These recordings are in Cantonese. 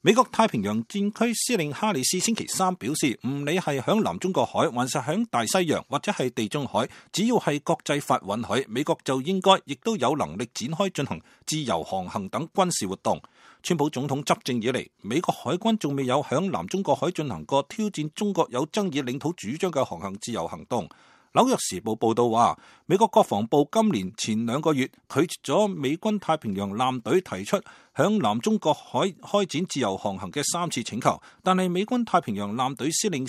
美國太平洋戰區司令哈里斯星期三表示，唔理係響南中國海，還是響大西洋或者係地中海，只要係國際法允許，美國就應該亦都有能力展開進行自由航行等軍事活動。川普總統執政以嚟，美國海軍仲未有響南中國海進行過挑戰中國有爭議領土主張嘅航行自由行動。紐約時報報道話，美國國防部今年前2個月拒絕咗美軍太平洋艦隊提出響南中國海開展自由航行嘅3次請求，但係美軍太平洋艦隊司令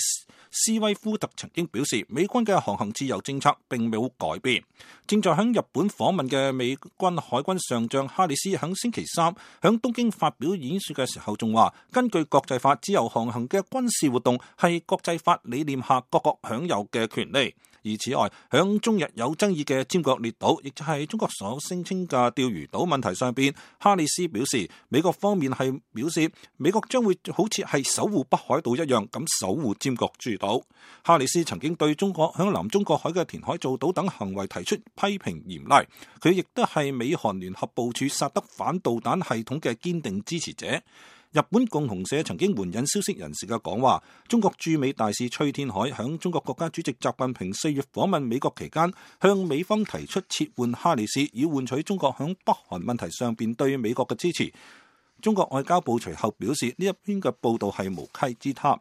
斯威夫特曾經表示，美軍嘅航行自由政策並冇改變。正在響日本訪問嘅美軍海軍上將哈里斯響星期三響東京發表演說嘅時候仲話，根據國際法，自由航行嘅軍事活動係國際法理念下各國享有嘅權利。而此外，響中日有爭議嘅尖閣列島，亦就係中國所聲稱嘅釣魚島問題上邊，哈里斯表示，美國方面係表示，美國將會好似係守護北海道一樣咁守護尖閣諸島。哈里斯曾經對中國響南中國海嘅填海造島等行為提出批評嚴厲，佢亦都係美韓聯合部署薩德反導彈系統嘅堅定支持者。日本共同社曾經援引消息人士嘅講話，中國駐美大使崔天凱響中國國家主席習近平4月訪問美國期間，向美方提出撤換哈里斯，以換取中國響北韓問題上邊對美國嘅支持。中國外交部隨後表示，呢一篇嘅報道係無稽之談。